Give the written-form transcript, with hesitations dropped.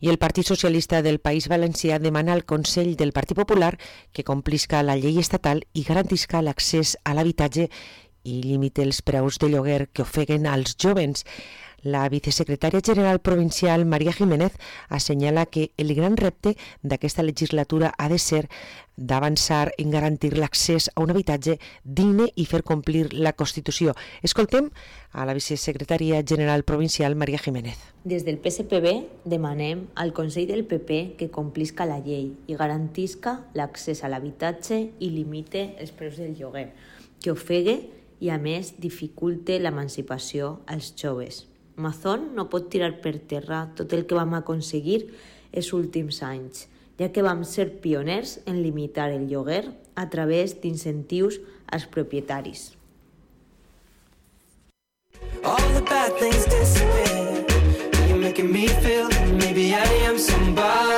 I el Partit Socialista del País Valencià demana al Consell del Partit Popular que complisca la llei estatal i garantisca l'accés a l'habitatge i limite els preus de lloguer que ofeguen als jóvens. La vicesecretària general provincial, María Jiménez, assenyala que el gran repte d'aquesta legislatura ha de ser d'avançar en garantir l'accés a un habitatge digne i fer complir la Constitució. Escoltem a la vicesecretària general provincial, María Jiménez. Des del PSPB demanem al Consell del PP que complisca la llei i garantisca l'accés a l'habitatge i limite els preus del lloguer, que ofegue i, a més, dificulte l'emancipació als joves. Mazón no pot tirar per terra tot el que vam aconseguir els últims anys, ja que vam ser pioners en limitar el lloguer a través d'incentius als propietaris. All the bad things disappear. You're making me feel